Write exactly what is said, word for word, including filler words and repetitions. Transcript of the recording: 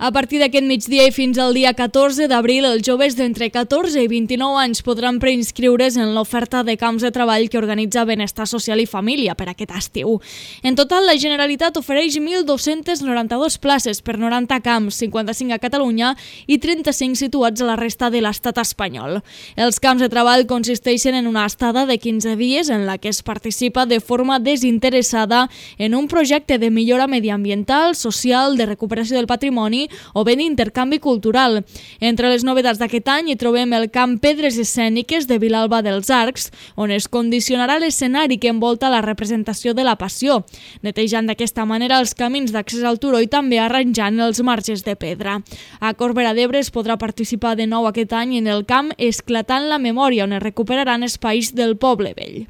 A partir d'aquest migdia i fins al dia catorze d'abril, els joves d'entre catorze i vint-i-nou anys podran preinscriure's en l'oferta de camps de treball que organitza Benestar Social i Família per aquest estiu. En total, la Generalitat ofereix mil dos-centes noranta-dues places per noranta camps, cinquanta-cinc a Catalunya i trenta-cinc situats a la resta de l'estat espanyol. Els camps de treball consisteixen en una estada de quinze dies en la que es participa de forma desinteressada en un projecte de millora mediambiental, social, de recuperació del patrimoni o bé d'intercanvi cultural. Entre les novetats d'aquest any hi trobem el camp Pedres Escèniques de Vilalba dels Arcs, on es condicionarà l'escenari que envolta la representació de la Passió, netejant d'aquesta manera els camins d'accés al turó i també arranjant els marges de pedra. A Corbera d'Ebre es podrà participar de nou aquest any en el camp Esclatant la Memòria, on es recuperaran espais del Poble Vell.